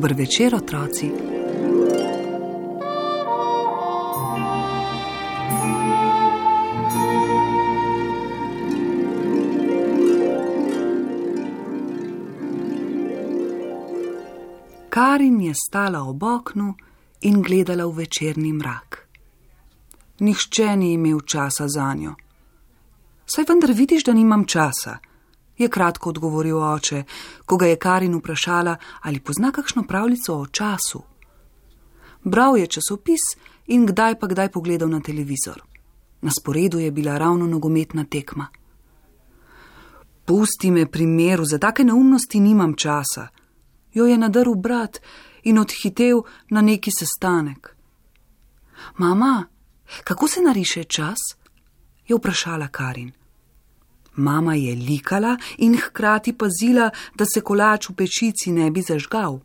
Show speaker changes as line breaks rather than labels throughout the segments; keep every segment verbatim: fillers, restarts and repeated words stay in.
Dober večer, otroci. Karin je stala ob oknu in gledala v večerni mrak. Nihče ni imel časa zanjo. Saj vendar vidiš, da nimam časa, je kratko odgovoril oče, ko ga je Karin vprašala, ali pozna kakšno pravljico o času. Bral je časopis in kdaj pa kdaj pogledal na televizor. Na sporedu je bila ravno nogometna tekma. Pusti me pri miru, za take neumnosti nimam časa, jo je nadrl brat in odhitel na neki sestanek. Mama, kako se nariše čas? Je vprašala Karin. Mama je likala in hkrati pazila, da se kolač v pečici ne bi zažgal.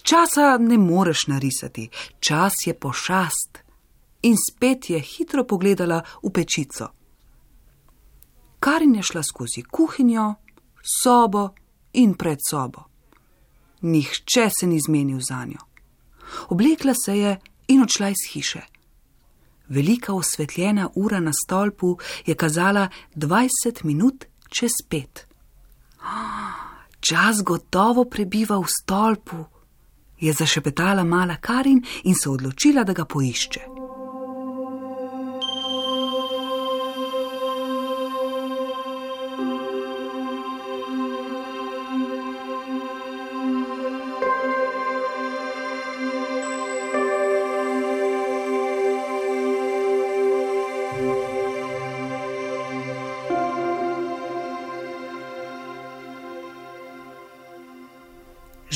Časa ne moreš narisati, čas je pošast. In spet je hitro pogledala v pečico. Karin je šla skozi kuhinjo, sobo in pred sobo. Nihče se ni zmenil zanjo. Oblekla se je in odšla iz hiše. Velika osvetljena ura na stolpu je kazala dvajset minut čez pet. Čas gotovo prebiva v stolpu, je zašepetala mala Karin in se odločila, da ga poišče.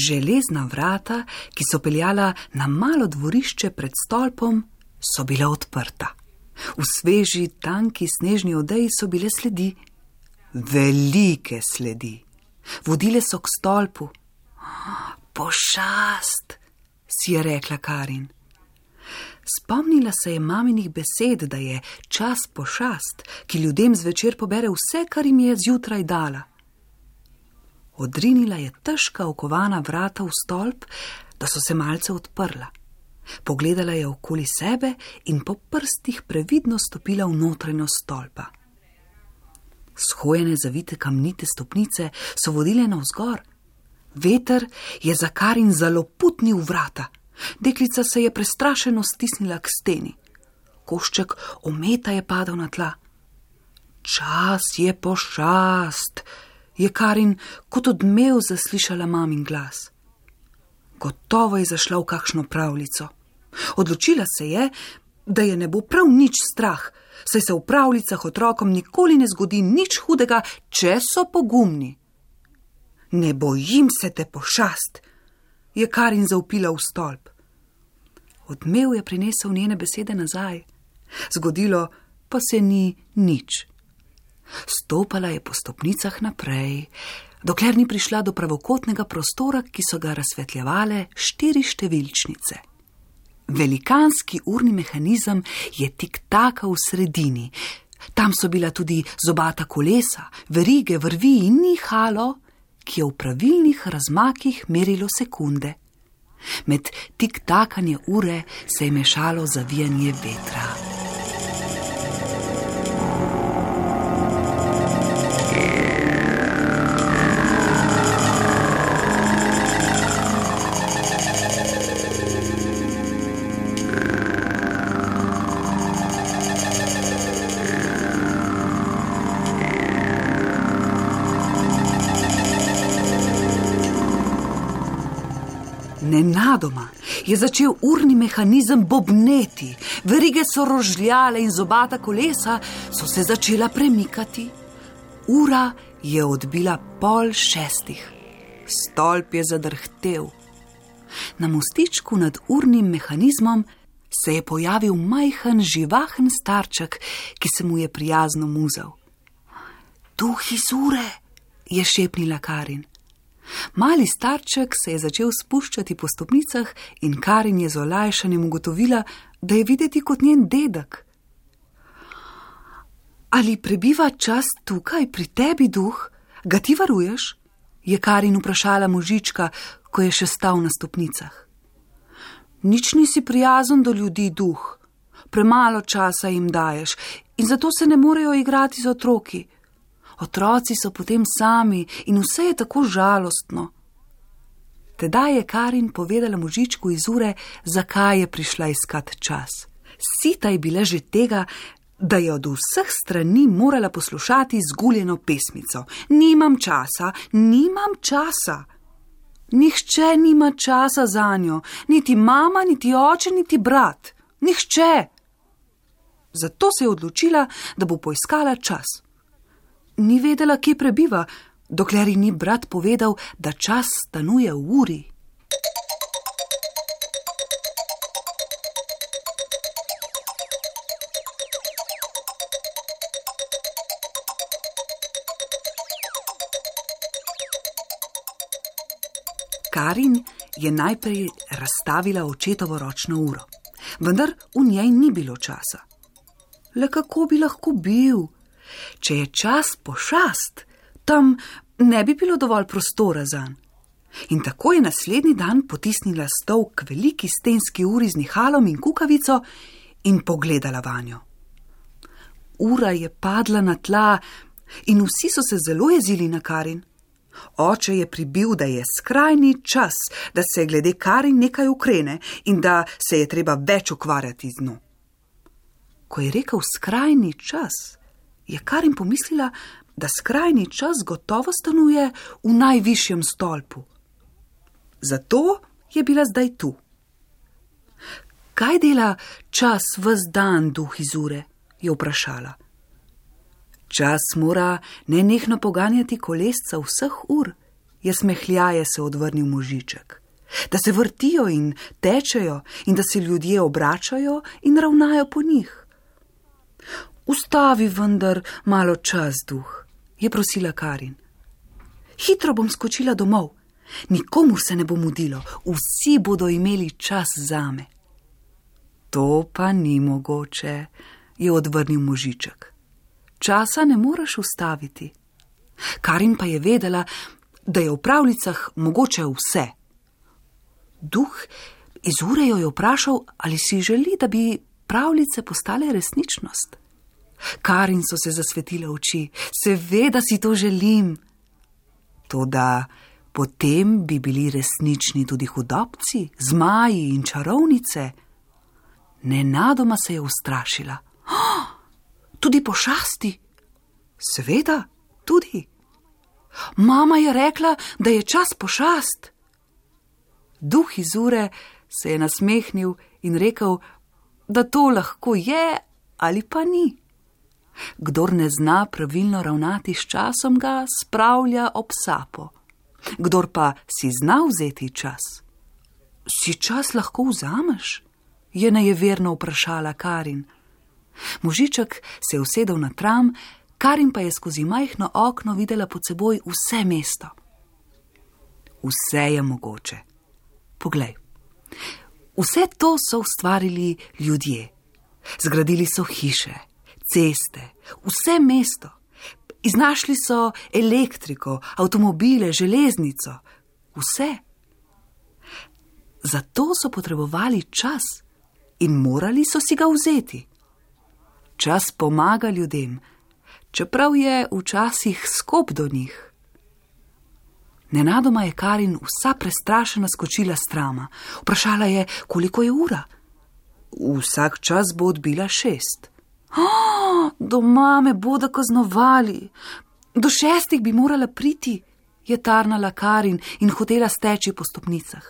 Železna vrata, ki so peljala na malo dvorišče pred stolpom, so bila odprta. V sveži, tanki snežni odeji so bile sledi. Velike sledi. Vodile so k stolpu. Pošast, si je rekla Karin. Spomnila se je maminih besed, da je čas pošast, ki ljudem zvečer pobere vse, kar jim je zjutraj dala. Odrinila je težka okovana vrata v stolp, da so se malce odprla. Pogledala je okoli sebe in po prstih previdno stopila v notranjost stolpa. Shojene zavite kamnite stopnice so vodile navzgor. Veter je za Karin zaloputnil vrata. Deklica se je prestrašeno stisnila k steni. Košček ometa je padal na tla. Čas je pošast, je Karin kot odmev zaslišala mamin glas. Gotovo je zašla v kakšno pravljico. Odločila se je, da je ne bo prav nič strah, saj se v pravljicah otrokom nikoli ne zgodi nič hudega, če so pogumni. Ne bojim se te, pošast, je Karin zavpila v stolp. Odmev je prinesel njene besede nazaj. Zgodilo pa se ni nič. Stopala je po stopnicah naprej, dokler ni prišla do pravokotnega prostora, ki so ga razsvetljevale štiri številčnice. Velikanski urni mehanizem je tik-taka v sredini. Tam so bila tudi zobata kolesa, verige, vrvi in nihalo, ki je v pravilnih razmakih merilo sekunde. Med tik-takanje ure se je mešalo zavijanje vetra. Nenadoma je začel urni mehanizem bobneti, verige so rožljale in zobata kolesa so se začela premikati. Ura je odbila pol šestih. Stolp je zadrhtel. Na mostičku nad urnim mehanizmom se je pojavil majhen, živahen starček, ki se mu je prijazno muzal. Duh iz ure, je šepnila Karin. Mali starček se je začel spuščati po stopnicah in Karin je z olajšanjem ugotovila, da je videti kot njen dedek. Ali prebiva čas tukaj pri tebi, duh? Ga ti varuješ? Je Karin vprašala možička, ko je še stal na stopnicah. Nič nisi prijazen do ljudi, duh. Premalo časa jim daješ in zato se ne morejo igrati z otroki. Otroci so potem sami in vse je tako žalostno. Tedaj je Karin povedala možičku iz ure, zakaj je prišla iskat čas. Sita je bila že tega, da je od vseh strani morala poslušati zguljeno pesmico. Nimam časa, nimam časa. Nihče nima časa zanjo, niti mama, niti oče, niti brat. Nihče. Zato se je odločila, da bo poiskala čas. Ni vedela, kje prebiva, dokler ji ni brat povedal, da čas stanuje v uri. Karin je najprej razstavila očetovo ročno uro, vendar v njej ni bilo časa. Le kako bi lahko bil? Če je čas pošast, tam ne bi bilo dovolj prostora zanj. In tako je naslednji dan potisnila stol k veliki stenski uri z nihalom in kukavico in pogledala vanjo. Ura je padla na tla in vsi so se zelo jezili na Karin. Oče je pribil, da je skrajni čas, da se glede Karin nekaj ukrene in da se je treba več ukvarjati z njo. Ko je rekel skrajni čas, je Karin pomislila, da skrajni čas gotovo stanuje v najvišjem stolpu. Zato je bila zdaj tu. Kaj dela čas ves dan, duh iz ure? Je vprašala. Čas mora nenehno poganjati kolesca vseh ur, je smehljaje se odvrnil možiček. Da se vrtijo in tečejo in da se ljudje obračajo in ravnajo po njih. Ustavi vendar malo čas, duh, je prosila Karin. Hitro bom skočila domov. Nikomur se ne bo mudilo, vsi bodo imeli čas zame. To pa ni mogoče, je odvrnil možiček. Časa ne moreš ustaviti. Karin pa je vedela, da je v pravljicah mogoče vse. Duh iz ure jo je vprašal, ali si želi, da bi pravljice postale resničnost. Karin so se zasvetile oči. Seveda si to želim. Toda potem bi bili resnični tudi hudobci, zmaji in čarovnice. Nenadoma se je ustrašila. Oh, tudi pošasti? Seveda, tudi. Mama je rekla, da je čas pošast. Duh iz ure se je nasmehnil in rekel, da to lahko je ali pa ni. Kdor ne zna pravilno ravnati s časom, ga spravlja ob sapo. Kdor pa si zna vzeti čas. Si čas lahko vzameš? Je nejeverno vprašala Karin. Možiček se je usedel na tram, Karin pa je skozi majhno okno videla pod seboj vse mesto. Vse je mogoče. Poglej. Vse to so ustvarili ljudje. Zgradili so hiše, ceste, vse mesto. Iznašli so elektriko, avtomobile, železnico, vse. Zato so potrebovali čas in morali so si ga vzeti. Čas pomaga ljudem, čeprav je včasih skop do njih. Nenadoma je Karin vsa prestrašena skočila s trama. Vprašala je, koliko je ura. Vsak čas bo odbila šest. Oh, doma me bodo kaznovali. Do šestih bi morala priti, je tarnala Karin in hotela steči po stopnicah.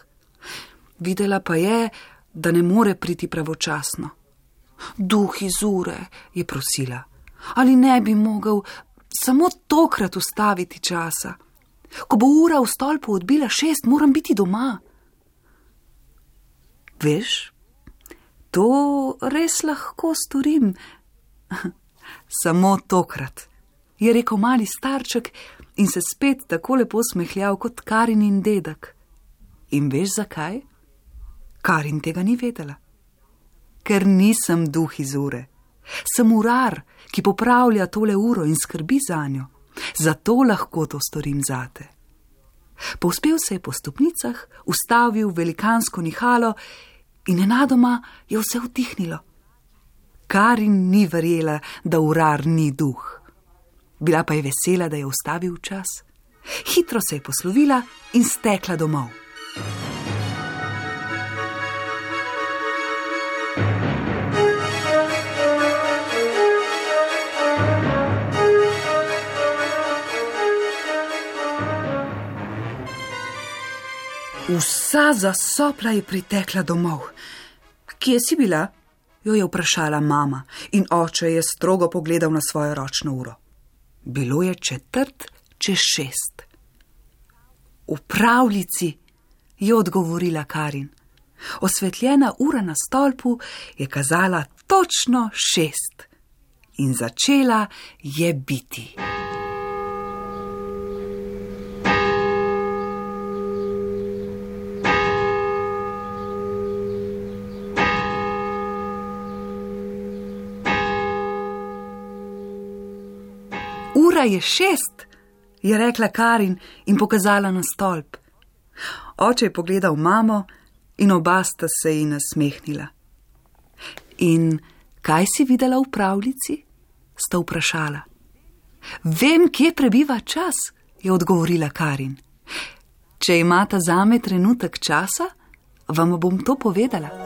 Videla pa je, da ne more priti pravočasno. Duh iz ure, je prosila, ali ne bi mogel samo tokrat ustaviti časa. Ko bo ura v stolpu odbila šest, moram biti doma. Veš, to res lahko storim. Samo tokrat, je rekel mali starček in se spet tako lepo smehljal kot Karinin dedek. In veš zakaj? Karin tega ni vedela. Ker nisem duh iz ure. Sem urar, ki popravlja tole uro in skrbi zanjo. Zato lahko to storim zate. Povzpel se je po stopnicah, ustavil velikansko nihalo in nenadoma je vse utihnilo. Karin ni verjela, da urar ni duh. Bila pa je vesela, da je ustavil čas. Hitro se je poslovila in stekla domov. Vsa zasopla je pritekla domov. Kje si bila? Jo je vprašala mama in oče je strogo pogledal na svojo ročno uro. Bilo je četrt čez šest. V pravljici, je odgovorila Karin. Osvetljena ura na stolpu je kazala točno šest in začela je biti. Ura je šest, je rekla Karin in pokazala na stolp. Oče je pogledal mamo in oba sta se ji nasmehnila. In kaj si videla v pravljici? Sta vprašala. Vem, kje prebiva čas, je odgovorila Karin. Če imata zame trenutek časa, vam bom to povedala.